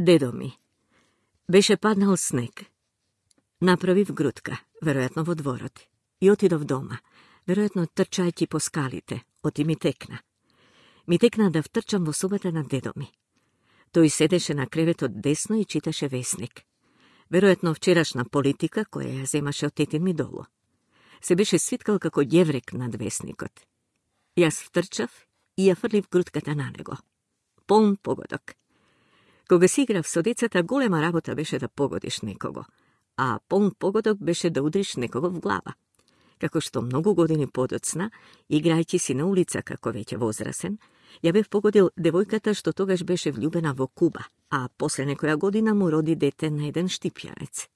Дедо ми. Беше паднал снег. Направив грудка, веројатно во дворот, и отидов дома, веројатно трчајќи по скалите, оти ми текна. Ми текна да втрчам во собата на дедо ми. Тој седеше на креветот десно и читаше весник. Веројатно вчерашна политика која ја земаше од тетин ми долу. Се беше свиткал како ѓеврек над весникот. Јас втрчав и ја фрлив грудката на него. Полн погодок. Кога си играв со децата, голема работа беше да погодиш некого, а полн погодок беше да удриш некого в глава. Како што многу години подоцна, играјќи си на улица како веќе возрасен, ја бев погодил девојката што тогаш беше влюбена во Куба, а после некоја година му роди дете на еден штипјанец.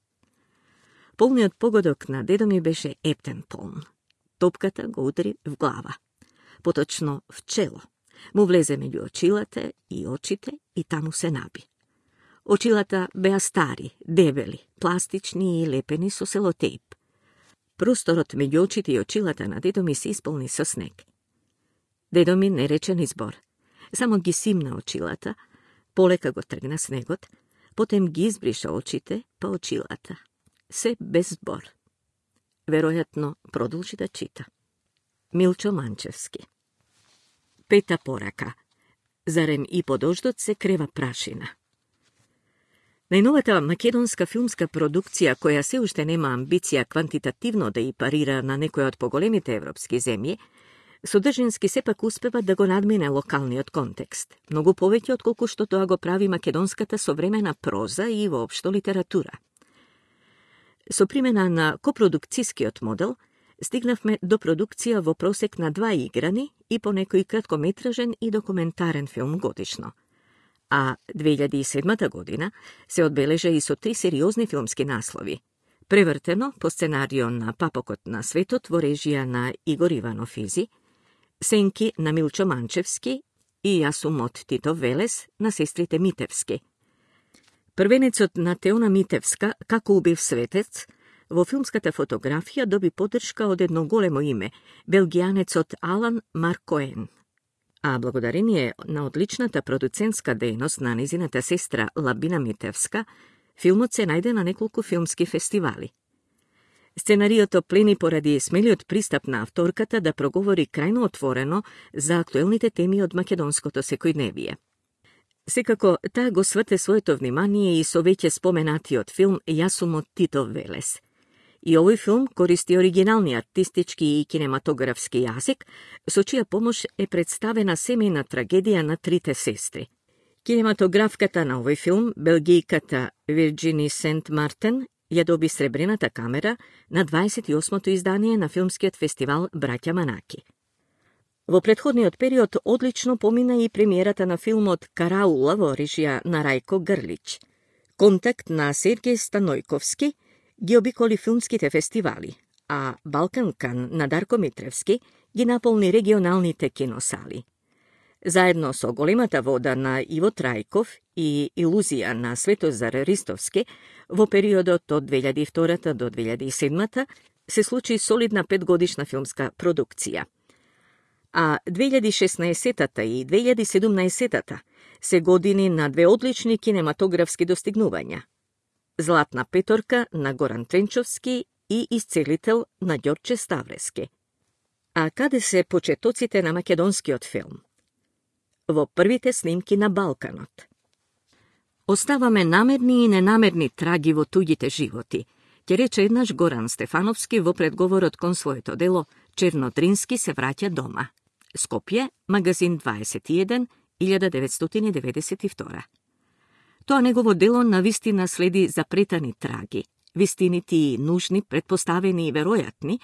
Полниот погодок на дедо ми беше ептен полн. Топката го удри в глава, поточно в чело. Му влезе меѓу очилата и очите и таму се наби. Очилата беа стари, дебели, пластични и лепени со селотейп. Просторот меѓу очите и очилата на дедо ми се исполни со снег. Дедо ми не рече ни збор. Само ги симна очилата, полека го тргна снегот, потем ги избриша очите па очилата. Се без збор. Веројатно продолжи да чита. Милчо Манчевски. Пета порака. Зарем и по дождот се крева прашина. Најновата македонска филмска продукција, која се уште нема амбиција квантитативно да и парира на некој од поголемите европски земји, содржински сепак успева да го надмине локалниот контекст, многу повеќе отколку што тоа го прави македонската современа проза и воопшто литература. Со примена на копродукцијскиот модел, стигнавме до продукција во просек на 2 играни и по некој краткометражен и документарен филм годишно. А 2007 година се одбележа и со 3 сериозни филмски наслови. Превртено по сценарио на Папокот на светот во режија на Игор Иванов Изи, Сенки на Милчо Манчевски и Јас сум од Тито Велес на сестрите Митевски. Првенецот на Теона Митевска, Како убив светец, во филмската фотографија доби поддршка од едно големо име, белгијанецот Алан Маркоен. А благодарение на одличната продуцентска дејност на незината сестра Лабина Митевска, филмот се најде на неколку филмски фестивали. Сценариото плени поради смелиот пристап на авторката да проговори крајно отворено за актуелните теми од македонското секојдневие. Секако, таа го сврте своето внимание и со веќе споменатиот филм Јас сум од Тито Велес. И овој филм користи оригинални артистички и кинематографски јазик, со чија помош е представена семејна трагедија на трите сестри. Кинематографката на овој филм, белгијката Вирџини Сент Мартен, ја доби сребрената камера на 28-то издание на филмскиот фестивал Браќа Манаки. Во претходниот период одлично помина и премиерата на филмот Караула во режија на Рајко Грлич. Контакт на Сергеј Станојковски ги обиколи филмските фестивали, а Балканкан на Дарко Митревски ги наполни регионалните киносали. Заедно со Големата вода на Иво Трајков и Илузија на Светозар Ристовски, во периодот од 2002 до 2007 се случи солидна 5-годишна филмска продукција. А 2016 и 2017 се години на 2 одлични кинематографски достигнувања. Златна петорка на Горан Тренчовски и Исцелител на Ѓорче Ставрески. А каде се почетоците на македонскиот филм? Во првите снимки на Балканот. Оставаме намерни и ненамерни траги во туѓите животи, ќе рече еднаш Горан Стефановски во предговорот кон своето дело Чернодрински се враќа дома. Скопје, магазин 21, 1992. Тоа негово дело навистина следи запретани траги, вистинити и нужни, предпоставени и веројатни,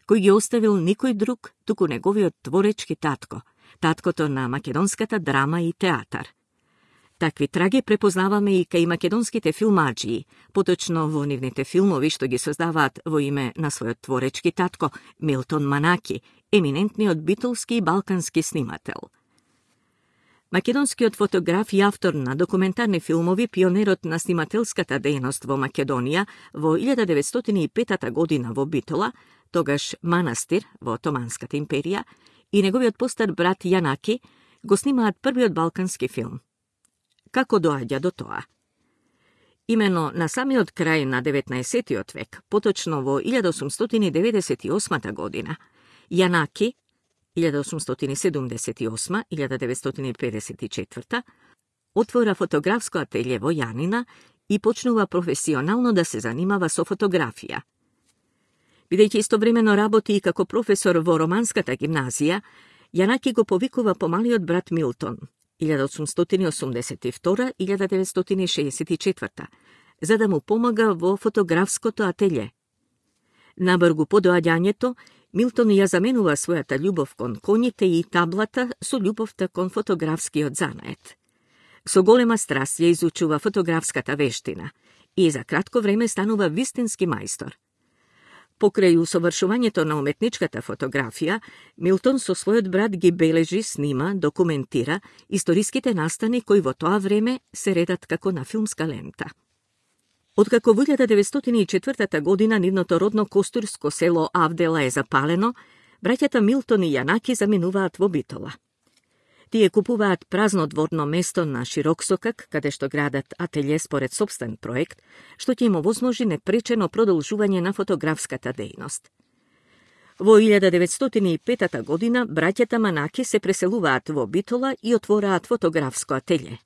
кој ги оставил никој друг, туку неговиот творечки татко, таткото на македонската драма и театар. Такви траги препознаваме и кај македонските филмаджии, поточно во нивните филмови што ги создаваат во име на својот творечки татко, Милтон Манаки, еминентниот битолски и балкански снимател. Македонскиот фотограф и автор на документарни филмови, пионерот на снимателската дејност во Македонија во 1905 година во Битола, тогаш манастир во Отоманската империја, и неговиот постар брат Јанаки го снимаат првиот балкански филм. Како доаѓа до тоа? Имено на самиот крај на 19. век, поточно во 1898 година, Јанаки, 1878-1954, отвора фотографско ателје во Јанина и почнува професионално да се занимава со фотографија. Бидејќи истовремено работи и како професор во Романската гимназија, Јанаки го повикува помалиот брат Милтон, 1882-1964, за да му помага во фотографското ателје. Набргу по доаѓањето, Милтон ја заменува својата љубов кон коњите и таблата со љубовта кон фотографскиот занает. Со голема страст ја изучува фотографската вештина и за кратко време станува вистински мајстор. Покрај усовршувањето на уметничката фотографија, Милтон со својот брат ги бележи, снима, документира историските настани кои во тоа време се редат како на филмска лента. Откако во 1904 година нивното родно костурско село Авдела е запалено, браќата Милтон и Јанаки заминуваат во Битола. Тие купуваат празно дворно место на Широксокак, каде што градат ателје според собствен проект, што ќе им овозможи непречено продолжување на фотографската дејност. Во 1905 година браќата Манаки се преселуваат во Битола и отвораат фотографско ателје.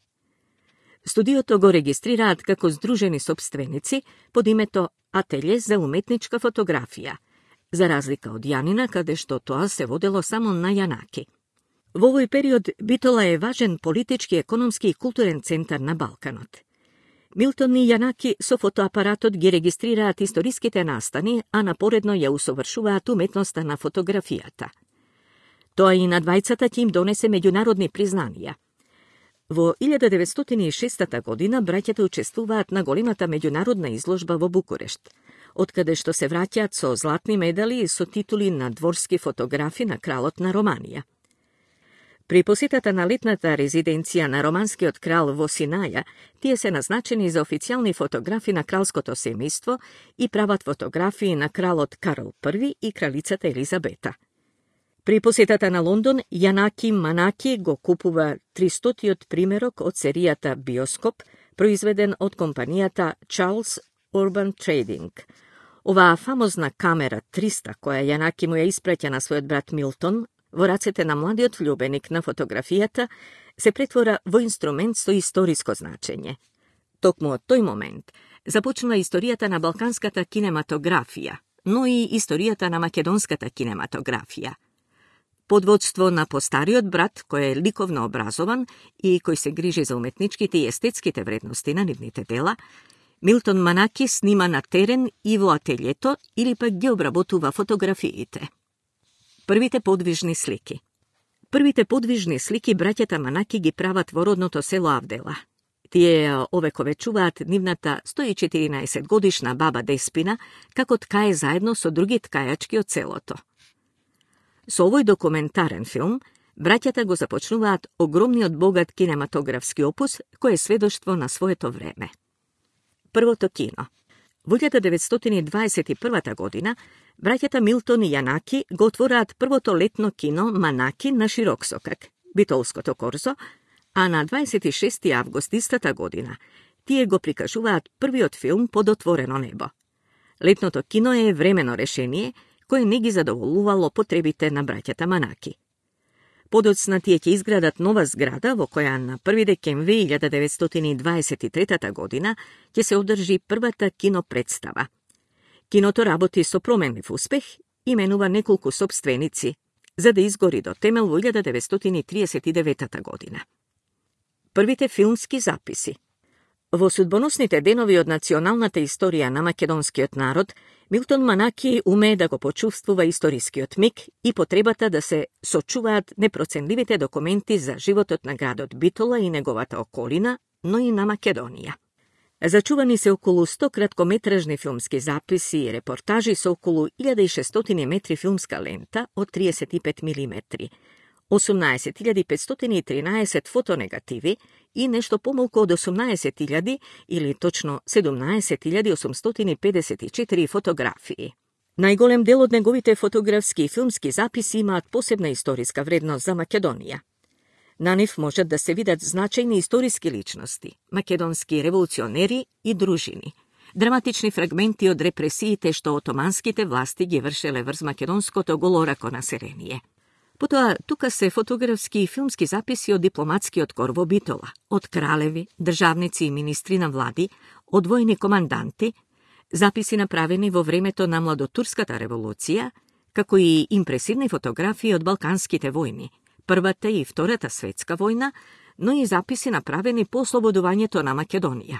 Студиото го регистрираат како здружени сопственици под името Ателје за уметничка фотографија, за разлика од Јанина, каде што тоа се водело само на Јанаки. Во овој период Битола е важен политички, економски и културен центар на Балканот. Милтон и Јанаки со фотоапаратот ги регистрираат историските настани, а напоредно ја усовршуваат уметноста на фотографијата. Тоа и на двајцата ќе им донесе меѓународни признанија. Во 1906 година браќата учествуваат на големата меѓународна изложба во Букурешт, откаде што се враќаат со златни медали и со титули на дворски фотографи на кралот на Романија. При посетата на летната резиденција на романскиот крал во Синаја, тие се назначени за официјални фотографи на кралското семејство и прават фотографии на кралот Карл I и кралицата Елизабета. При посетата на Лондон, Јанаки Манаки го купува 300-тиот примерок од серијата Биоскоп, произведен од компанијата Charles Urban Trading. Оваа фамозна камера 300, која Јанаки му ја испраќа на својот брат Милтон, во рацете на младиот влюбеник на фотографијата, се претвора во инструмент со историско значење. Токму од тој момент започнува историјата на балканската кинематографија, но и историјата на македонската кинематографија. Под водство на постариот брат, кој е ликовно образован и кој се грижи за уметничките и естетските вредности на нивните дела, Милтон Манаки снима на терен и во ателјето или пак ги обработува фотографиите. Првите подвижни слики. Првите подвижни слики браќата Манаки ги прават во родното село Авдела. Тие овековечуваат нивната 114 годишна баба Деспина, како ткае заедно со други ткајачки од селото. Со овој документарен филм, браќата го започнуваат огромниот богат кинематографски опус, кој е сведоштво на своето време. Првото кино. Во 1921 година, браќата Милтон и Јанаки го отвораат првото летно кино Манаки на Широксокак, Битолското корзо, а на 26. август истата година тие го прикажуваат првиот филм Под отворено небо. Летното кино е времено решение, кое не ги задоволувало потребите на браќата Манаки. Подоцна тие ќе изградат нова зграда во која на 1 декември 1923 година ќе се одржи првата кинопредстава. Киното работи со променлив успех и менува неколку сопственици, за да изгори до темел во 1939 година. Првите филмски записи. Во судбоносните денови од националната историја на македонскиот народ, Милтон Манаки умее да го почувствува историскиот миг и потребата да се сочуваат непроценливите документи за животот на градот Битола и неговата околина, но и на Македонија. Зачувани се околу 100 краткометражни филмски записи и репортажи со околу 1600 метри филмска лента од 35 мм, 18.513 фотонегативи и нешто помалку од 18.000 или точно 17.854 фотографии. Најголем дел од неговите фотографски и филмски записи имаат посебна историска вредност за Македонија. На нив можат да се видат значајни историски личности, македонски револуционери и дружини, драматични фрагменти од репресиите што отоманските власти ги вршеле врз македонското голорако население. Потоа, тука се фотографски и филмски записи од дипломатскиот кор во Битола, од кралеви, државници и министри на влади, од војни команданти, записи направени во времето на Младотурската револуција, како и импресивни фотографии од Балканските војни, Првата и Втората светска војна, но и записи направени по ослободувањето на Македонија.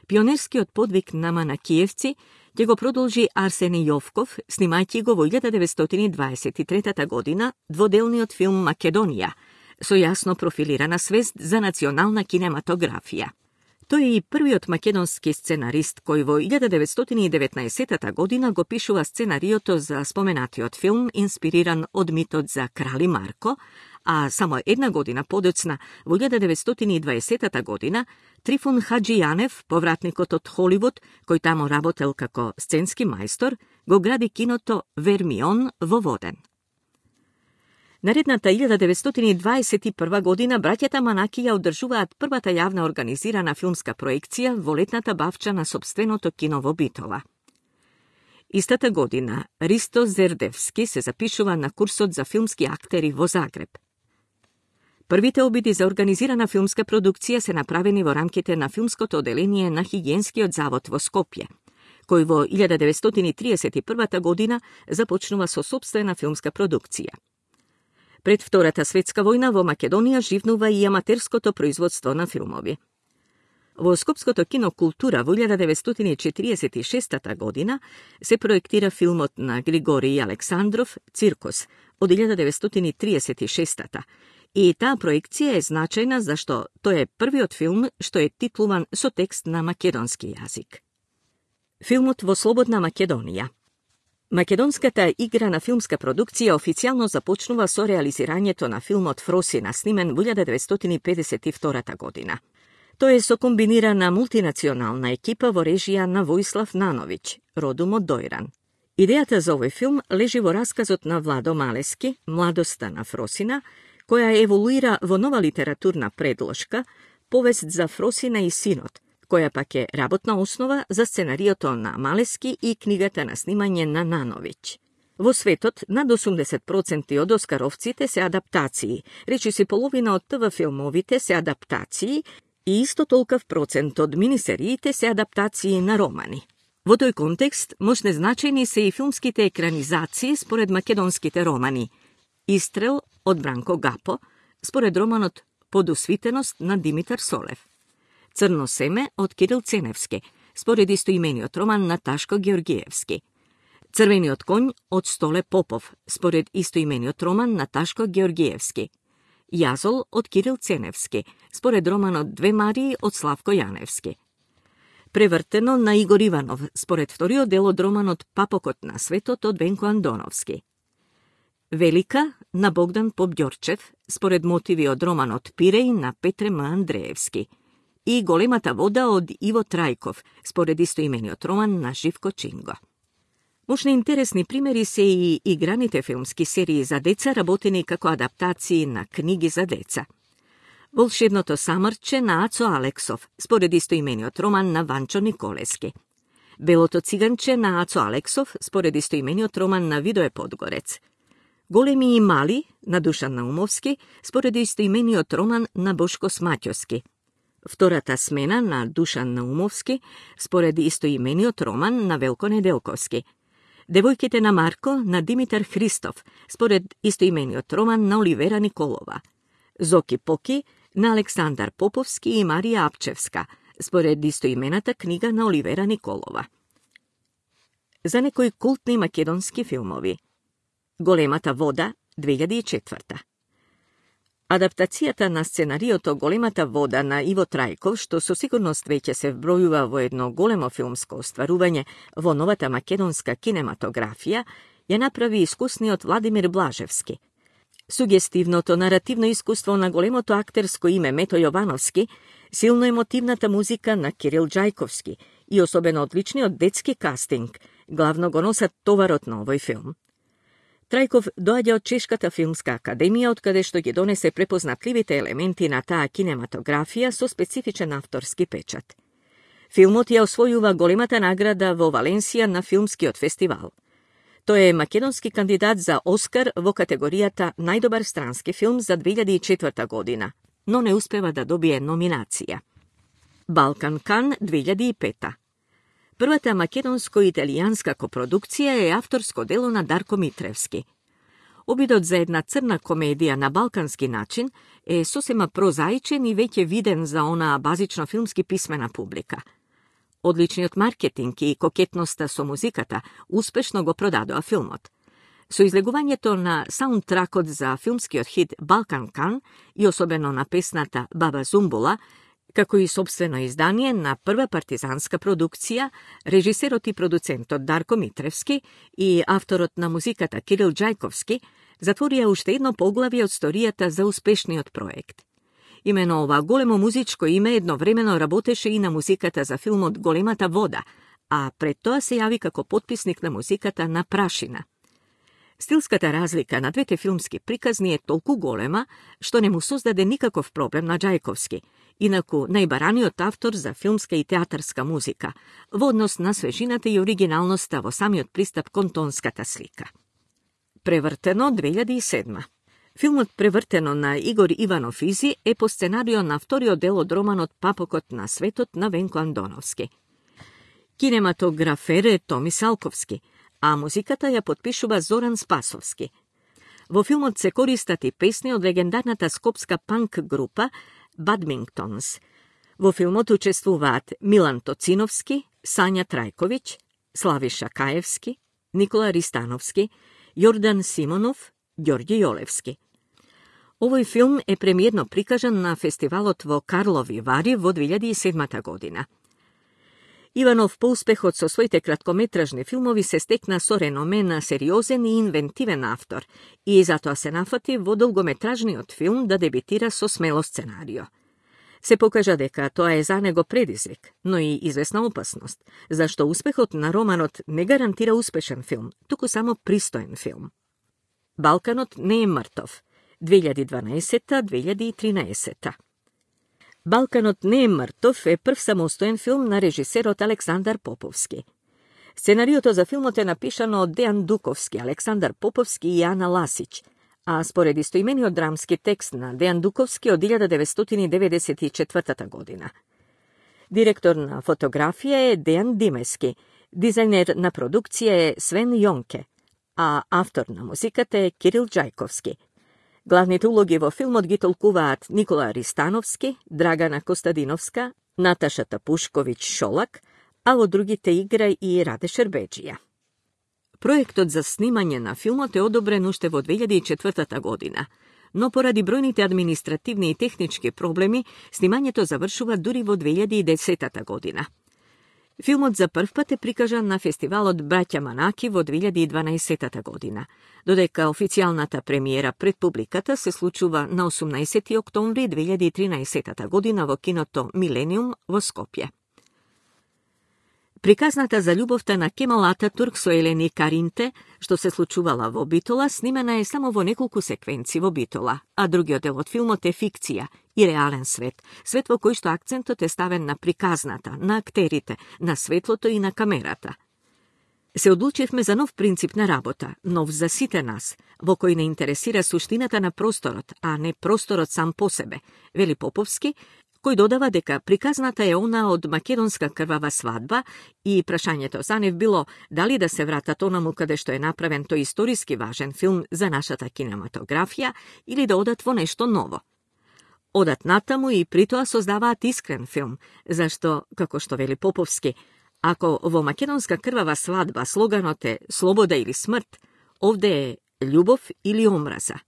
Пионерскиот подвиг на манакиевци ќе го продолжи Арсени Јовков, снимајќи го во 1923 година дводелниот филм Македонија, со јасно профилирана свест за национална кинематографија. Тој е и првиот македонски сценарист кој во 1919 година го пишува сценариото за споменатиот филм, инспириран од митот за Крали Марко, а само една година подоцна, во 1920 година, Трифун Хаджијанев, повратникот од Холивуд, кој тамо работел како сценски мајстор, го гради киното Вермион во Воден. Наредната 1921 година браќата Манаки ја одржуваат првата јавна организирана филмска проекција во летната бавча на сопственото кино во Битола. Истата година Ристо Зердевски се запишува на курсот за филмски актери во Загреб. Првите обиди за организирана филмска продукција се направени во рамките на филмското оделение на Хигиенскиот завод во Скопје, кој во 1931 година започнува со сопствена филмска продукција. Пред Втората светска војна во Македонија живнува и аматерското производство на филмови. Во Скопското кино Култура во 1946 година се проектира филмот на Григорий Александров «Циркус» од 1936 и таа проекција е значајна зашто тој е првиот филм што е титлуван со текст на македонски јазик. Филмот во слободна Македонија. Македонската играна филмска продукција официјално започнува со реализирањето на филмот Фросина, снимен во 1952 година. Тој е со комбинирана мултинационална екипа во режија на Војслав Нановиќ, родом од Дојран. Идејата за овој филм лежи во расказот на Владо Малески, Младоста на Фросина, која еволуира во нова литературна предложка, повест за Фросина и синот, која пак е работна основа за сценариото на Малески и книгата на снимање на Нановиќ. Во светот, над 80% од оскаровците се адаптации, речиси половина од ТВ филмовите се адаптации и исто толков процент од минисериите се адаптации на романи. Во тој контекст, мощне значајни се и филмските екранизации според македонските романи. Истрел од Бранко Гапо, според романот Подосвитеност на Димитар Солев. Црно семе од Кирил Ценевски, според истоимениот роман на Ташко Георгиевски. Црвениот коњ од Столе Попов, според истоимениот роман на Ташко Георгиевски. Јазол од Кирил Ценевски, според романот Две Марии од Славко Јаневски. Превртено на Игор Иванов, според вториот дел од романот Папокот на светот од Венко Андоновски. Велика на Богдан Побјорчев, според мотиви од романот Пиреј на Петре М. Андреевски. И Големата вода од Иво Трајков, според истоимениот роман на Живко Чинго. Мощни интересни примери се и играните филмски серии за деца, работени како адаптации на книги за деца. Волшебното самрче на Ацо Алексов, според истоимениот роман на Ванчо Николески. Белото циганче на Ацо Алексов, според истоимениот роман на Видое Подгорец. Големи и мали на Душан Наумовски, според истоимениот роман на Бошко Смаќовски. Втората смена на Душан Наумовски, според истоимениот роман на Велко Неделковски. Девојките на Марко на Димитар Христов, според истоимениот роман на Оливера Николова. Зоки Поки на Александар Поповски и Марија Апчевска, според истоимената книга на Оливера Николова. За некои култни македонски филмови. Големата вода, 2004. Адаптацијата на сценариото Големата вода на Иво Трајков, што со сигурност веќе се вбројува во едно големо филмско остварување во новата македонска кинематографија, ја направи искусниот Владимир Блажевски. Сугестивното наративно искуство на големото актерско име Мето Јовановски, силно емотивната музика на Кирил Џајковски и особено одличниот детски кастинг, главно го носат товарот на овој филм. Трајков доаѓа од Чешката филмска академија, од каде што ги донесе препознатливите елементи на таа кинематографија со специфичен авторски печат. Филмот ја освојува големата награда во Валенсија на филмскиот фестивал. Тој е македонски кандидат за Оскар во категоријата најдобар странски филм за 2004 година, но не успева да добие номинација. Балкан Кан 2005. Првата македонско-италијанска копродукција е авторско дело на Дарко Митревски. Обидот за една црна комедија на балкански начин е сосема прозаичен и веќе виден за онаа базично филмски писмена публика. Одличниот маркетинг и кокетноста со музиката успешно го продадоа филмот. Со излегувањето на саундтракот за филмскиот хит Балкан Кан и особено на песната Баба Зумбула, како и собствено издание на прва партизанска продукција, режисерот и продуцентот Дарко Митревски и авторот на музиката Кирил Џајковски затворија уште едно поглавје од историјата за успешниот проект. Имено ова големо музичко име едновремено работеше и на музиката за филмот Големата вода, а пред тоа се јави како потписник на музиката на Прашина. Стилската разлика на двете филмски приказни е толку голема, што не му создаде никаков проблем на Џајковски, инаку најбараниот автор за филмска и театарска музика, во однос на свежината и оригиналноста во самиот пристап кон тонската слика. Превртено 2007. Филмот Превртено на Игор Иванов Изи е по сценарио на вториот дел од романот Папокот на светот на Венко Андоновски. Кинематографер е Томи Салковски, а музиката ја потпишува Зоран Спасовски. Во филмот се користат и песни од легендарната скопска панк група Бадмингтонс. Во филмот учествуваат Милан Тоциновски, Сања Трајковиќ, Славиша Каевски, Никола Ристановски, Јордан Симонов, Ѓорѓи Јолевски. Овој филм е премиерно прикажан на фестивалот во Карлови Вари во 2007 година. Иванов по успехот со своите краткометражни филмови се стекна со реноме на сериозен и инвентивен автор и затоа се нафати во долгометражниот филм да дебитира со смело сценарио. Се покажа дека тоа е за него предизвик, но и известна опасност, зашто успехот на романот не гарантира успешен филм, туку само пристоен филм. Балканот не е мртов. 2012-2013. Балканот не е мртов е прв самостоен филм на режисерот Александар Поповски. Сценариото за филмот е напишано од Дејан Дуковски, Александар Поповски и Ана Ласич, а според истоимениот драмски текст на Дејан Дуковски од 1994 година. Директор на фотографија е Дејан Димески, дизајнер на продукција е Свен Јонке, а автор на музиката е Кирил Џајковски. Главните улоги во филмот ги толкуваат Никола Ристановски, Драгана Костадиновска, Наташа Тапушковиќ-Шолак, а во другите игра и Раде Шербеџија. Проектот за снимање на филмот е одобрен уште во 2004 година, но поради бројните административни и технички проблеми, снимањето завршува дури во 2010 година. Филмот за прв пат е прикажан на фестивалот Браќа Манаки во 2012 година, додека официјалната премиера пред публиката се случува на 18 октомври 2013 година во киното Милениум во Скопје. Приказната за љубовта на Кемал Ататурк со Елени Каринте, што се случувала во Битола, снимена е само во неколку секвенци во Битола, а другиот дел од филмот е фикција и реален свет, свет во кој што акцентот е ставен на приказната, на актерите, на светлото и на камерата. Се одлучивме за нов принцип на работа, нов за сите нас, во кој не интересира суштината на просторот, а не просторот сам по себе, вели Поповски, кој додава дека приказната е она од македонска крвава свадба и прашањето за нив било дали да се вратат онаму каде што е направен тој историски важен филм за нашата кинематографија или да одат во нешто ново. Одат натаму и притоа создаваат искрен филм, зашто, како што вели Поповски, ако во македонска крвава свадба слоганот е слобода или смрт, овде е љубов или омраза.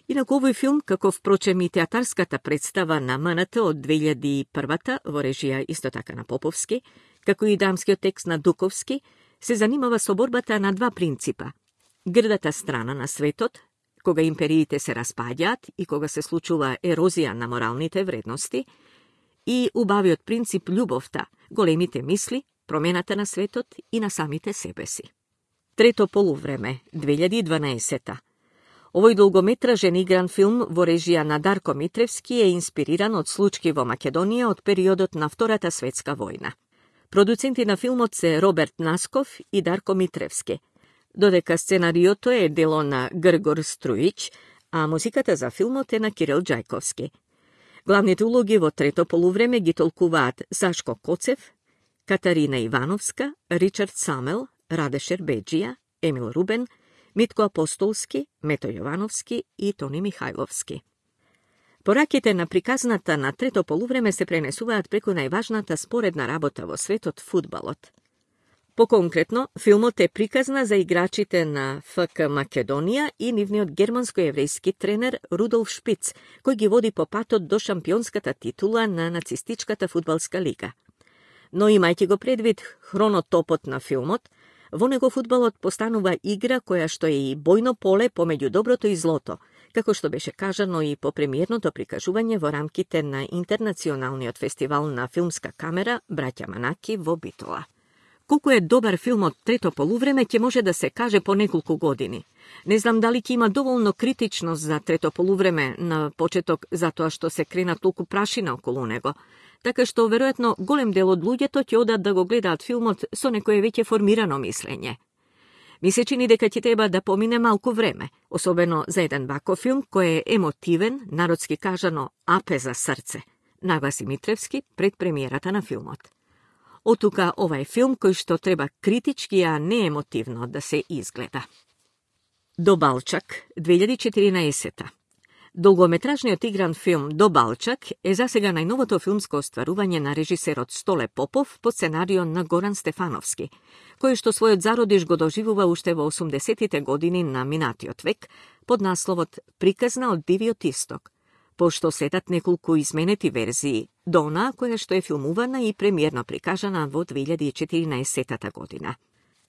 Инаку овој филм, како впрочем и театарската представа на МНТ од 2001 во режија исто така на Поповски, како и драмскиот текст на Дуковски, се занимава со борбата на два принципа. Грдата страна на светот, кога империите се распаѓаат и кога се случува ерозија на моралните вредности, и убавиот принцип љубовта, големите мисли, промената на светот и на самите себе си. Трето полувреме, 2012. Овој долгометражен игран филм во режија на Дарко Митревски е инспириран од случаи во Македонија од периодот на Втората светска војна. Продуценти на филмот се Роберт Насков и Дарко Митревски, додека сценариото е дело на Гргор Струич, а музиката за филмот е на Кирил Џајковски. Главните улоги во трето полувреме ги толкуваат Сашко Коцев, Катарина Ивановска, Ричард Самел, Раде Шербеџија, Емил Рубен, Митко Апостолски, Мето Јовановски и Тони Михајловски. Пораките на приказната на трето полувреме се пренесуваат преку најважната споредна работа во светот, фудбалот. Поконкретно, филмот е приказна за играчите на ФК Македонија и нивниот германско-еврејски тренер Рудолф Шпиц, кој ги води по патот до шампионската титула на нацистичката фудбалска лига. Но имајќи го предвид хронотопот на филмот, во него фудбалот постанува игра која што е и бојно поле помеѓу доброто и злото, како што беше кажано и по премиерното прикажување во рамките на Интернационалниот фестивал на филмска камера Браќа Манаки во Битола. Колку е добар филмот трето полувреме ќе може да се каже по неколку години. Не знам дали ќе има доволно критичност за трето полувреме на почеток затоа што се крена толку прашина околу него, така што веројатно голем дел од луѓето ќе одат да го гледаат филмот со некое веќе формирано мислење. Ми се чини дека ќе треба да помине малку време, особено за еден ваков филм кој е емотивен, народски кажано апе за срце, нагласи Митревски пред премиерата на филмот. Отука ова е филм кој што треба критички, а не емотивно да се изгледа. До Балчак, 2014. Долгометражниот игран филм До Балчак е засега најновото филмско остварување на режисерот Столе Попов по сценарио на Горан Стефановски, кој што својот зародиш го доживува уште во 80-тите години на минатиот век под насловот Приказна од Дивиот Исток, пошто следат неколку изменети верзии до онаа која што е филмувана и премиерно прикажана во 2014 година.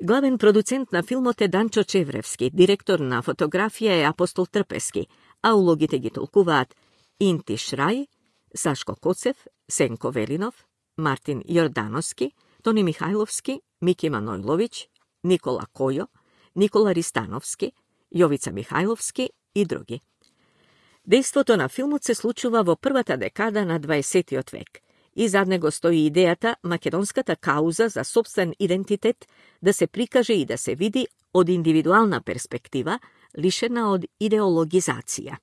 Главен продуцент на филмот е Данчо Чевревски, директор на фотографија е Апостол Трпески, а улогите ги толкуваат Инти Шрај, Сашко Коцев, Сенко Велинов, Мартин Јордановски, Тони Михајловски, Мики Манојловиќ, Никола Којо, Никола Ристановски, Јовица Михајловски и други. Дејството на филмот се случува во првата декада на 20 век и зад него стои идејата македонската кауза за собствен идентитет да се прикаже и да се види од индивидуална перспектива, лишена од идеологизација.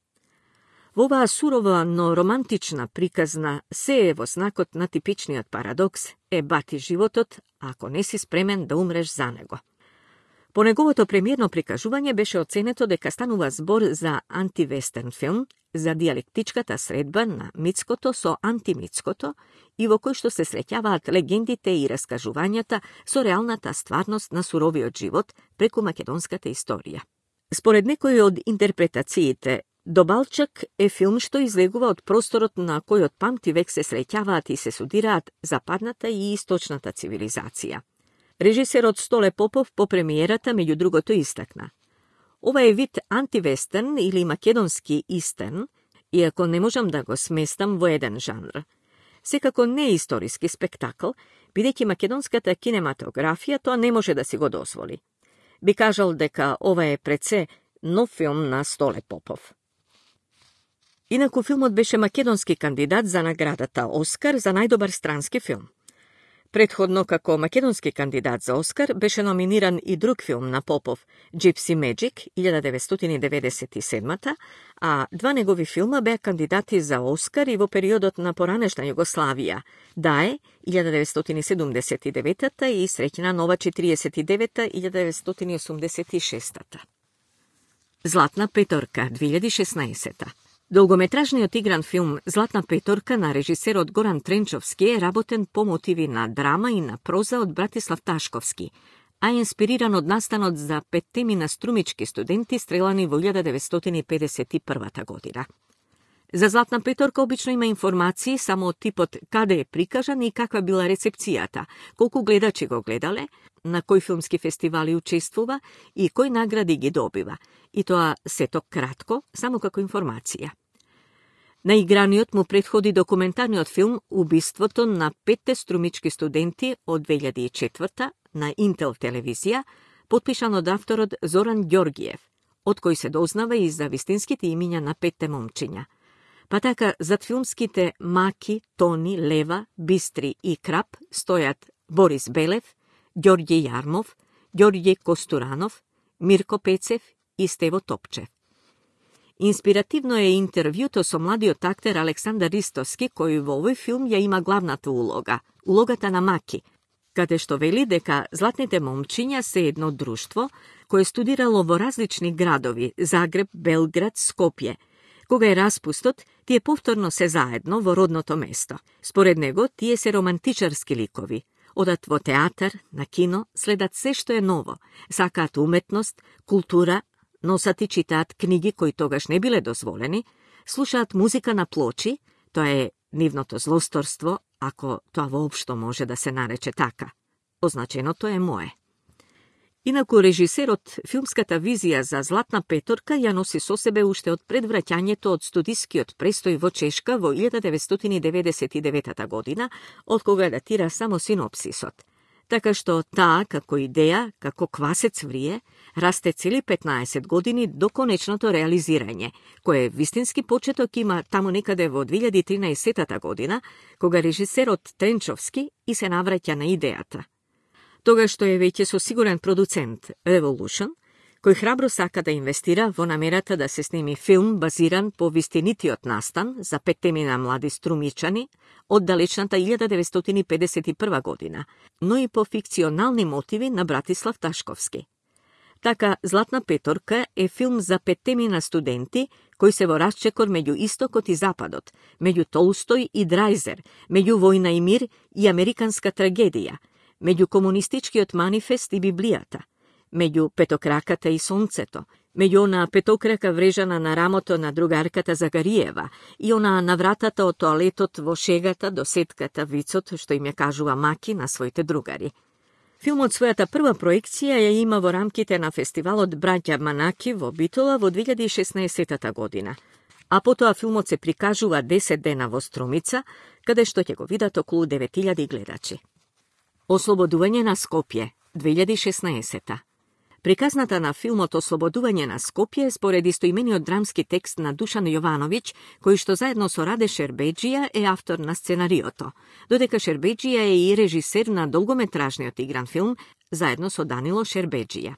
Во оваа сурова, но романтична приказна се е во знакот на типичниот парадокс е бати животот, ако не си спремен да умреш за него. По неговото премиерно прикажување беше оценето дека станува збор за антивестерн филм, за диалектичката средба на митското со антимитското и во кој што се среќаваат легендите и раскажувањата со реалната стварност на суровиот живот преку македонската историја. Според некои од интерпретациите, До Балчак е филм што излегува од просторот на кој од памти век се среќаваат и се судираат западната и источната цивилизација. Режисерот Столе Попов по премиерата меѓу другото истакна: ова е вид антивестерн или македонски истерн, иако не можам да го сместам во еден жанр. Секако не е историски спектакл, бидејќи македонската кинематографија тоа не може да си го дозволи. Би кажал дека ова е пред се нов филм на Столе Попов. Инаку филмот беше македонски кандидат за наградата Оскар за најдобар странски филм. Предходно, како македонски кандидат за Оскар, беше номиниран и друг филм на Попов, Gypsy Magic, 1997, а два негови филма беа кандидати за Оскар и во периодот на поранешна Југославија, Дае, 1979 и Среќна нова 49 1986. Златна петорка, 2016. Долгометражниот игран филм Златна петорка на режисерот Горан Тренчовски е работен по мотиви на драма и на проза од Братислав Ташковски, а е инспириран од настанот за 5 на струмички студенти стрелани во 1951 година. За Златна петорка обично има информации само од типот каде е прикажан и каква била рецепцијата, колку гледачи го гледале, на кои филмски фестивали учествува и кои награди ги добива, и тоа сето кратко, само како информација. На играниот му предходи документарниот филм Убиството на 5 струмички студенти од 2004 на Интел телевизија, потпишан од авторот Зоран Ѓоргиев, од кој се дознава и за вистинските имиња на 5 момчиња. Па така, зад филмските Маки, Тони, Лева, Бистри и Крап стојат Борис Белев, Ѓорѓе Јармов, Ѓорѓе Костуранов, Мирко Пецев и Стево Топчев. Инспиративно е интервјуто со младиот актер Александар Ристовски, кој во овој филм ја има главната улога, улогата на Маки, каде што вели дека златните момчиња се едно друштво кое студирало во различни градови, Загреб, Белград, Скопје. Кога е распустот, тие повторно се заедно во родното место. Според него, тие се романтичарски ликови. Одат во театар, на кино, следат се што е ново, сакаат уметност, култура, носат и читаат книги кои тогаш не биле дозволени, слушаат музика на плочи, тоа е нивното злосторство, ако тоа воопшто може да се нарече така. Означеното е мое. Инаку режисерот филмската визија за Златна петорка ја носи со себе уште од предвраќањето од студискиот престој во Чешка во 1999 година, од кога датира само синопсисот. Така што таа, како идеја, како квасец врие, расте цели 15 години до конечното реализирање, кое вистински почеток има таму некаде во 2013 година, кога режисерот Тренчовски и се навраќа на идејата. Тогаш што е веќе со сигурен продуцент Revolution, кој храбро сака да инвестира во намерата да се сними филм базиран по вистинитиот настан за 5 млади струмичани од далечната 1951 година, но и по фикционални мотиви на Братислав Ташковски. Така, Златна петорка е филм за 5 студенти кои се во расчекор меѓу Истокот и Западот, меѓу Толстој и Драйзер, меѓу Војна и мир и американска трагедија, меѓу комунистичкиот манифест и Библијата, меѓу петокраката и сонцето, меѓу она петокрака врежана на рамото на другарката Загариева и она на вратата од тоалетот во шегата до сетката вицот што им ја кажува Маки на своите другари. Филмот својата прва проекција ја има во рамките на фестивалот Браќа Манаки во Битола во 2016 година, а потоа филмот се прикажува 10 дена во Струмица, каде што ќе го видат околу 9000 гледачи. Ослободување на Скопје, 2016. Приказната на филмот Ослободување на Скопје според истоимениот драмски текст на Душан Јовановиќ, кој што заедно со Раде Шербеџија е автор на сценариото, додека Шербеџија е и режисер на долгометражниот игран филм заедно со Данило Шербеџија.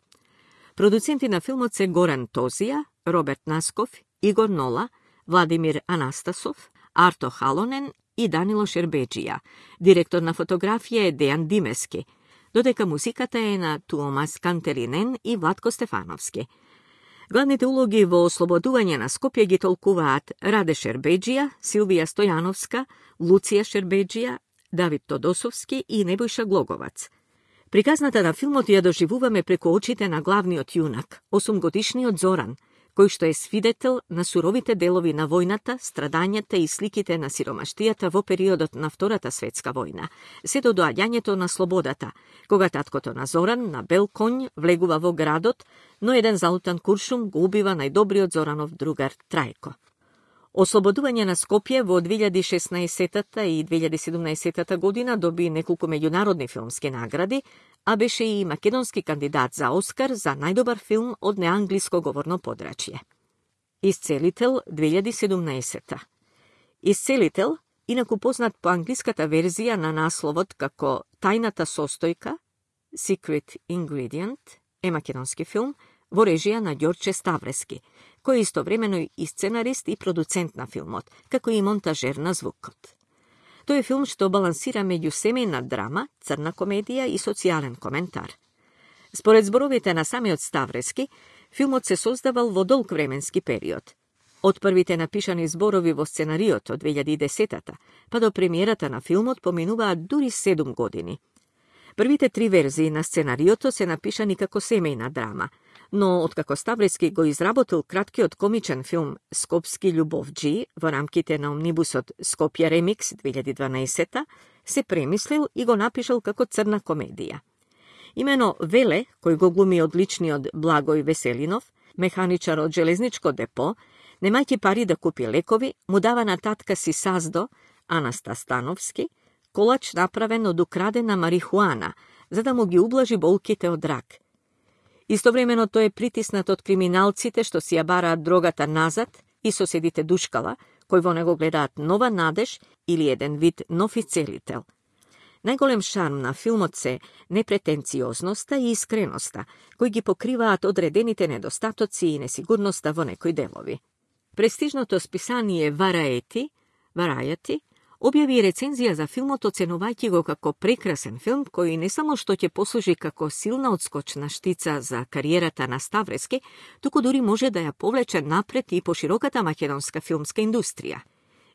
Продуценти на филмот се Горан Тозија, Роберт Насков, Игор Нола, Владимир Анастасов, Арто Халонен и Данило Шербеџија. Директор на фотографија е Дејан Димески, додека музиката е на Туомас Кантеринен и Владко Стефановски. Главните улоги во Ослободување на Скопје ги толкуваат Раде Шербеџија, Силвија Стојановска, Луција Шербеџија, Давид Тодосовски и Небојша Глоговац. Приказната на филмот ја доживуваме преку очите на главниот јунак, 8-годишниот Зоран, кој што е свидетел на суровите делови на војната, страдањата и сликите на сиромаштијата во периодот на Втората светска војна, се до доаѓањето на слободата, кога таткото на Зоран на бел конј влегува во градот, но еден залутан куршум го убива најдобриот Зоранов другар Трајко. Ослободување на Скопје во 2016 и 2017 година доби неколку меѓународни филмски награди, а беше и македонски кандидат за Оскар за најдобар филм од неанглиско говорно подрачје. Исцелител 2017. Исцелител, инаку познат по англиската верзија на насловот како Тајната состојка, Secret Ingredient, е македонски филм во режија на Ѓорче Ставрески, кој е истовремено и сценарист и продуцент на филмот, како и монтажер на звукот. Тој е филм што балансира меѓу семејна драма, црна комедија и социјален коментар. Според зборовите на самиот Ставрески, филмот се создавал во долг временски период. Од првите напишани зборови во сценариото 2010-та, па до премиерата на филмот поминуваат дури 7 години. Првите 3 верзии на сценариото се напишани како семејна драма, но откако Ставрески го изработил краткиот комичен филм Скопски љубовџи во рамките на омнибусот Скопје Ремикс 2012, се премислил и го напишал како црна комедија. Имено Веле, кој го глуми одличниот Благој Веселинов, механичар од железничко депо, немајќи пари да купи лекови, му дава на татка си Саздо, Анаста Становски, колач направен од украдена марихуана, за да му ги ублажи болките од рак. Истовремено тој е притиснат од криминалците што си ја бараат дрогата назад и соседите душкала, кои во него гледаат нова надеж или еден вид нов ицелител. Најголем шарм на филмот се непретенциозноста и искреноста, кои ги покриваат одредените недостатоци и несигурноста во некои делови. Престижното списание Variety објави рецензија за филмот, оценувајќи го како прекрасен филм кој не само што ќе послужи како силна одскочна штица за кариерата на Ставрески, туку дури може да ја повлече напред и по широката македонска филмска индустрија.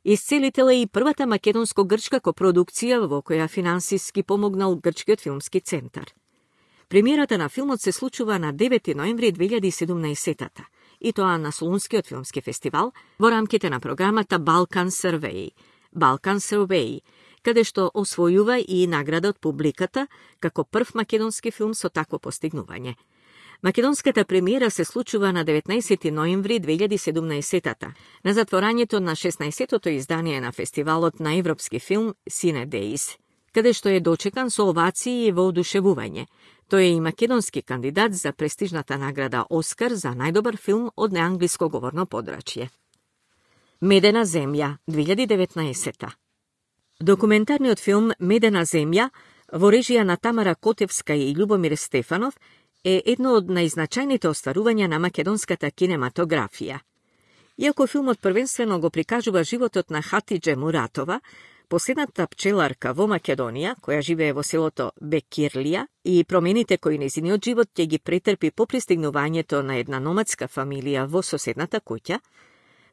Исцелител е и првата македонско-грчка копродукција во која финансиски помогнал Грчкиот филмски центар. Премиерата на филмот се случува на 9 ноември 2017 и тоа на Солунскиот филмски фестивал во рамките на програмата Balkan Survey, каде што освојува и награда од публиката како прв македонски филм со такво постигнување. Македонската премиера се случува на 19 ноември 2017 на затворањето на 16-тото издание на фестивалот на европски филм Cine Days, каде што е дочекан со овации и воодушевување. Тој е и македонски кандидат за престижната награда Оскар за најдобар филм од неанглиско говорно подрачје. Медена земја, 2019. Документарниот филм Медена земја во режија на Тамара Котевска и Љубомир Стефанов е едно од најзначајните остварувања на македонската кинематографија. Иако филмот првенствено го прикажува животот на Хатидже Муратова, последната пчеларка во Македонија, која живее во селото Бекирлија, и промените кои нејзиниот живот ќе ги претрпи по пристигнувањето на една номадска фамилија во соседната куќа,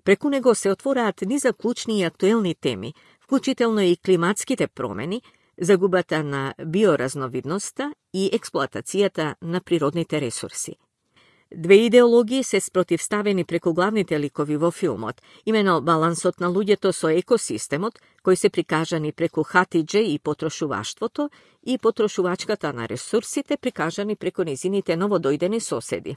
преку него се отвораат низа клучни и актуелни теми, вклучително и климатските промени, загубата на биоразновидноста и експлоатацијата на природните ресурси. Две идеологии се спротивставени преку главните ликови во филмот, имено балансот на луѓето со екосистемот, кои се прикажани преку Хатидже и потрошуваштвото, и потрошувачката на ресурсите прикажани преку незините новодојдени соседи.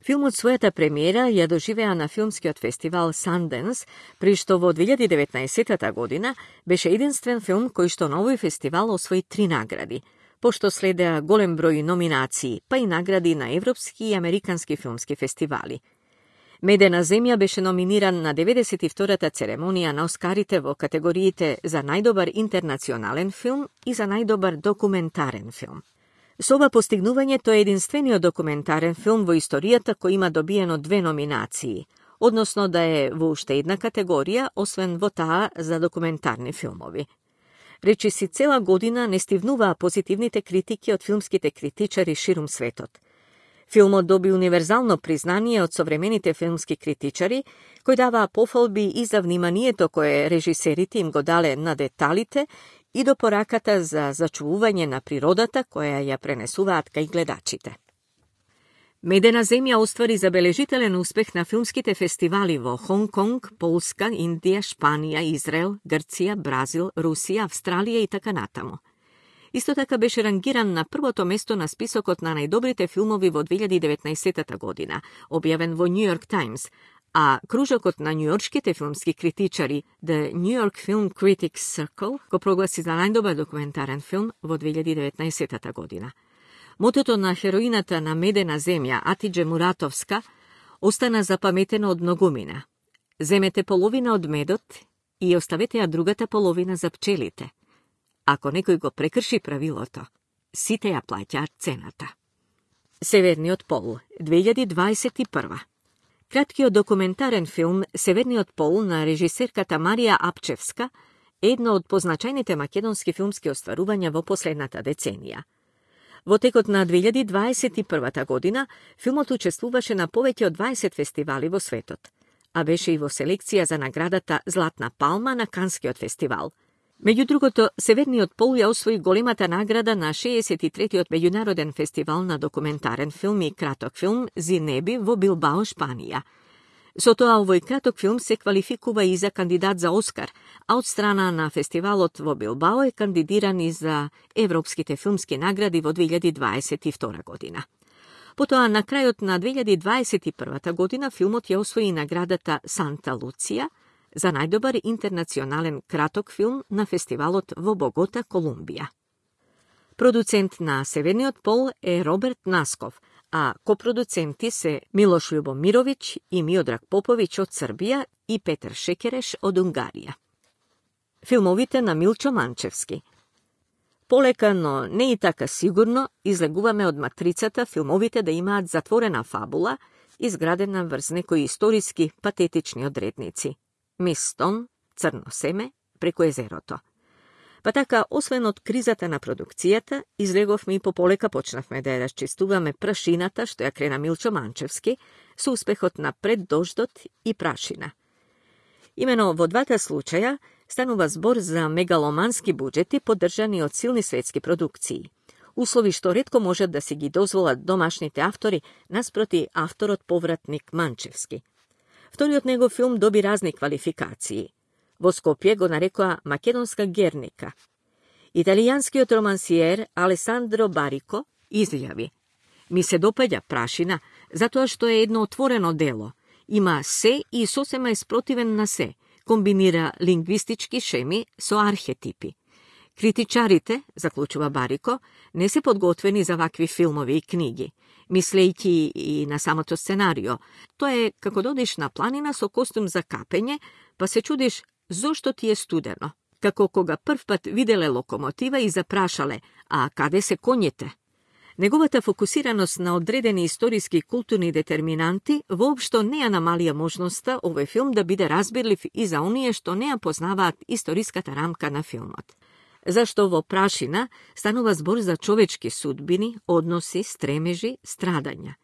Филмот својата премиера ја доживеа на филмскиот фестивал Sundance, при што во 2019 година беше единствен филм кој што на овој фестивал освои 3 награди, пошто следеа голем број номинации, па и награди на европски и американски филмски фестивали. Медена земја беше номиниран на 92-та церемонија на Оскарите во категориите за најдобар интернационален филм и за најдобар документарен филм. Со ова постигнување тој е единствениот документарен филм во историјата кој има добиено 2 номинации, односно да е во уште една категорија, освен во таа за документарни филмови. Речиси цела година не стивнуваа позитивните критики од филмските критичари ширум светот. Филмот доби универзално признание од современите филмски критичари, кои даваа пофалби и за вниманието кое режисерите им го дале на деталите и до пораката за зачувување на природата која ја пренесуваат кај гледачите. Медена земја оствари забележителен успех на филмските фестивали во Хонг Конг, Полска, Индија, Шпанија, Израел, Грција, Бразил, Русија, Австралија и така натаму. Исто така беше рангиран на првото место на списокот на најдобрите филмови во 2019 година, објавен во New York Times, а кружокот на њујоршките филмски критичари The New York Film Critics Circle го прогласи за најдобар документарен филм во 2019 година. Мотото на хероината на Медена земја, Атидже Муратовска, остана запаметено од многумина. Земете половина од медот и оставете ја другата половина за пчелите. Ако некој го прекрши правилото, сите ја плаќаат цената. Северниот пол, 2021. Краткиот документарен филм Северниот пол на режисерката Марија Апчевска е едно од позначајните македонски филмски остварувања во последната деценија. Во текот на 2021 година филмот учествуваше на повеќе од 20 фестивали во светот, а беше и во селекција за наградата Златна палма на Канскиот фестивал. Меѓу другото, Северниот пол ја освои големата награда на 63-тиот меѓународен фестивал на документарен филм и краток филм Зинеби во Билбао, Шпанија. Со тоа овој краток филм се квалификува и за кандидат за Оскар, а од страна на фестивалот во Билбао е кандидиран и за европските филмски награди во 2022 година. Потоа, на крајот на 2021 година, филмот ја освои наградата Санта Луција за најдобар интернационален краток филм на фестивалот во Богота, Колумбија. Продуцент на Северниот пол е Роберт Насков, a koproducenti se Miloš Ljubomirović i Miodrag Popović od Srbija i Petar Šekereš od Ungarija. Filmovите на Милчо Манчевски. Полека, но не и така сигурно, излегуваме од матрицата филмовите да имаат затворена фабула, изградена врз некои историски патетични одредници. Мис Стон, Црно семе, преку езерото. Па така, освен од кризата на продукцијата, излеговме и пополека почнавме да ја расчистуваме прашината што ја крена Милчо Манчевски со успехот на Пред дождот и Прашина. Имено во двата случаја станува збор за мегаломански буџети поддржани од силни светски продукции, услови што ретко можат да си ги дозволат домашните автори наспроти авторот повратник Манчевски. Вториот негов филм доби разни квалификации. Во Скопје го нарекоа македонска Герника. Италијанскиот романсиер Алесандро Барико изјави: "Ми се допаѓа Прашина, затоа што е едно отворено дело. Има се и сосема е спротивен на се, комбинира лингвистички шеми со архетипи. Критичарите, заклучува Барико, не се подготвени за вакви филмови и книги, мислејќи и на самото сценарио. Тоа е како да одиш на планина со костум за капење, па се чудиш зошто ти е студено, како кога прв пат виделе локомотива и запрашале, а каде се коњите? Неговата фокусираност на одредени историски и културни детерминанти воопшто не ја намалија можноста овој филм да биде разбирлив и за оние што не ја познаваат историската рамка на филмот. Зашто во Прашина станува збор за човечки судбини, односи, стремежи, страдања.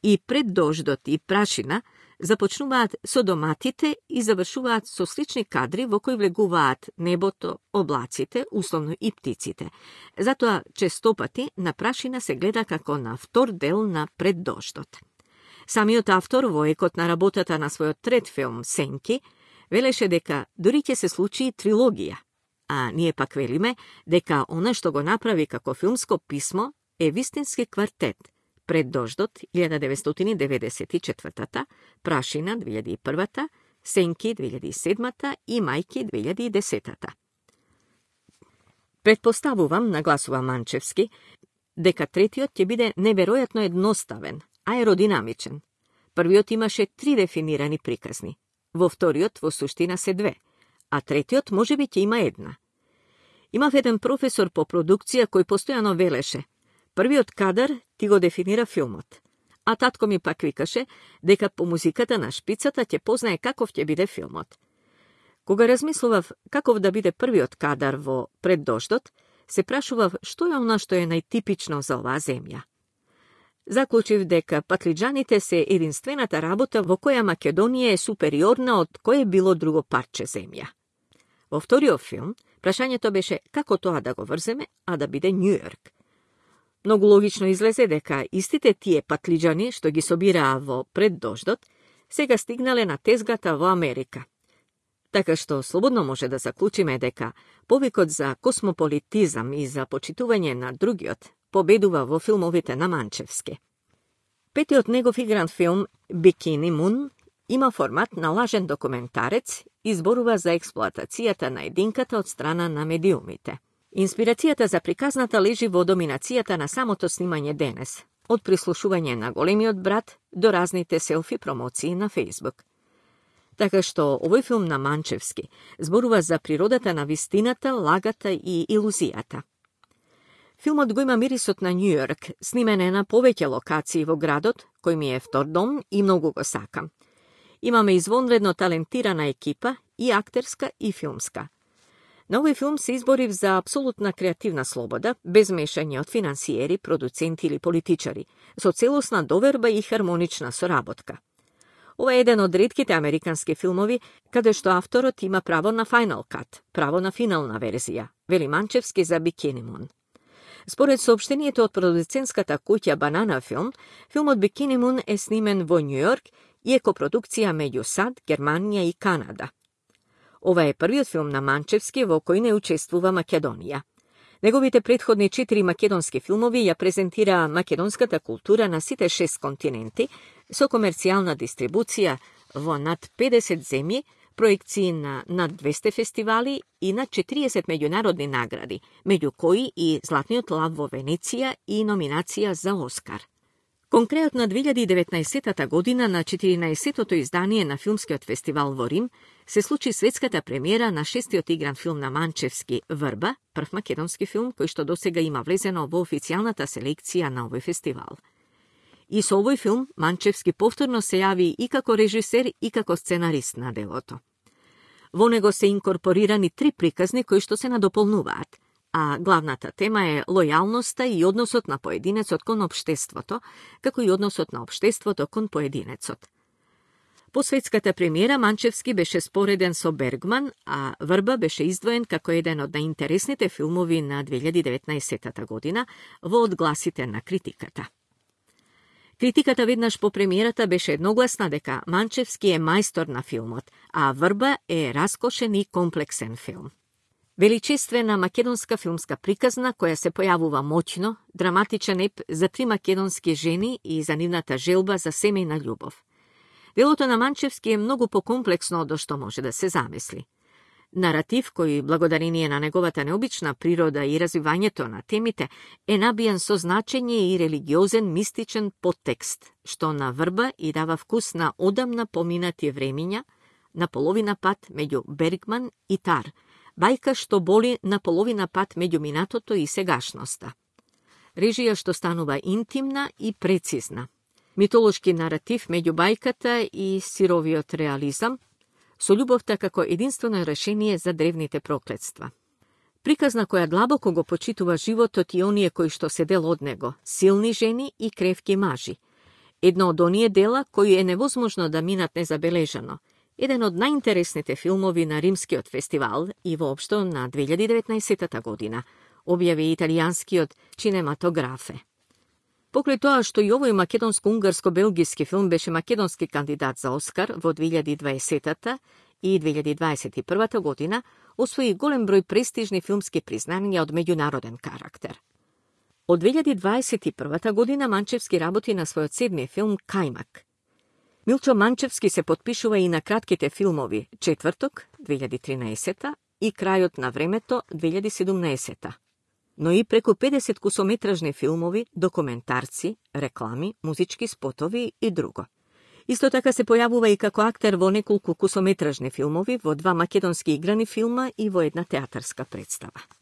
И Пред дождот и Прашина започнуваат со доматите и завршуваат со слични кадри во кои влегуваат небото, облаците, условно и птиците. Затоа честопати на Прашина се гледа како на втор дел на Пред дождот. Самиот автор во екот на работата на својот трет филм Сенки велеше дека дури ќе се случи трилогија, а ние пак велиме дека она што го направи како филмско писмо е вистински квартет. Пред дождот 1994, Прашина 2001, Сенки 2007 и Мајки 2010. Предпоставувам, нагласува Манчевски, дека третиот ќе биде неверојатно едноставен, аеродинамичен. Првиот имаше 3 дефинирани приказни, во вториот во суштина се 2, а третиот можеби ќе има една. Имав еден професор по продукција кој постојано велеше: "Првиот кадар ти го дефинира филмот." А татко ми пак викаше дека по музиката на шпицата ќе познае каков ќе биде филмот. Кога размислував каков да биде првиот кадар во Пред дождот, се прашував што е она што е најтипично за оваа земја. Заклучив дека патлиџаните се единствената работа во која Македонија е супериорна од кое било друго парче земја. Во вториот филм, прашањето беше како тоа да го врземе, а да биде Њујорк. Многу логично излезе дека истите тие патлиџани што ги собираа во Пред дождот, сега стигнале на тезгата во Америка. Така што слободно може да заклучиме дека повикот за космополитизам и за почитување на другиот победува во филмовите на Манчевски. Петиот негов игран филм Бикини Мун има формат на лажен документарец и зборува за експлоатацијата на единката од страна на медиумите. Инспирацијата за приказната лежи во доминацијата на самото снимање денес, од прислушување на големиот брат до разните селфи промоции на Фејсбук. Така што овој филм на Манчевски зборува за природата на вистината, лагата и илузијата. Филмот го има мирисот на Њујорк, снимен е на повеќе локации во градот, кој ми е втор дом и многу го сакам. Имаме извонредно талентирана екипа, и актерска и филмска. На овој филм се изборив за апсолутна креативна слобода, без мешање од финансиери, продуценти или политичари, со целосна доверба и хармонична соработка. Ова е еден од ретките американски филмови каде што авторот има право на Final Cut, право на финална верзија, вели Манчевски за Бикини Мун. Според соопштението од продуцентската куќа Банана Филм, филмот Бикини Мун е снимен во Њујорк и е копродукција меѓу САД, Германија и Канада. Ова е првиот филм на Манчевски во кој не учествува Македонија. Неговите предходни 4 македонски филмови ја презентираа македонската култура на сите 6 континенти со комерцијална дистрибуција во над 50 земји, проекции на над 200 фестивали и над 40 меѓународни награди, меѓу кои и Златниот лав во Венеција и номинација за Оскар. Конкретно на 2019 година на 14-тото издание на филмскиот фестивал во Рим се случи светската премиера на 6-тиот игран филм на Манчевски Врба, прв македонски филм кој што досега има влезено во официјалната селекција на овој фестивал. И со овој филм Манчевски повторно се јави и како режисер и како сценарист на делото. Во него се инкорпорирани 3 приказни кои што се надополнуваат, а главната тема е лојалноста и односот на поединецот кон општеството, како и односот на општеството кон поединецот. По светската премиера Манчевски беше спореден со Бергман, а Врба беше издвоен како еден од најинтересните филмови на 2019 година во одгласите на критиката. Критиката веднаш по премиерата беше едногласна дека Манчевски е мајстор на филмот, а Врба е раскошен и комплексен филм. Величествена македонска филмска приказна која се појавува моќно, драматичен еп за 3 македонски жени и за нивната желба за семејна љубов. Делото на Манчевски е многу покомплексно од што може да се замисли. Наратив кој, благодарение на неговата необична природа и развивањето на темите, е набиен со значење и религиозен мистичен подтекст, што на Врба и дава вкус на одамна поминати времиња, на половина пат меѓу Бергман и Тар, бајка што боли на половина пат меѓу минатото и сегашноста. Режија што станува интимна и прецизна. Митолошки наратив меѓу бајката и сировиот реализам, со љубовта како единствено решение за древните проклетства. Приказна која длабоко го почитува животот и оние кои што се дел од него, силни жени и кревки мажи. Едно од оние дела кои е невозможно да минат незабележано, еден од најинтересните филмови на Римскиот фестивал и воопшто на 2019 година, објави италијанскиот Кинематографе. Покрај тоа што и овој македонско-унгарско-белгиски филм беше македонски кандидат за Оскар во 2020 и 2021 година, освои голем број престижни филмски признања од меѓународен карактер. Од 2021 година Манчевски работи на својот 7ми филм Кајмак. Милчо Манчевски се потпишува и на кратките филмови Четврток 2013 и Крајот на времето 2017, но и преку 50 кусометражни филмови, документарци, реклами, музички спотови и друго. Исто така се појавува и како актер во неколку кусометражни филмови, во 2 македонски играни филма и во една театарска представа.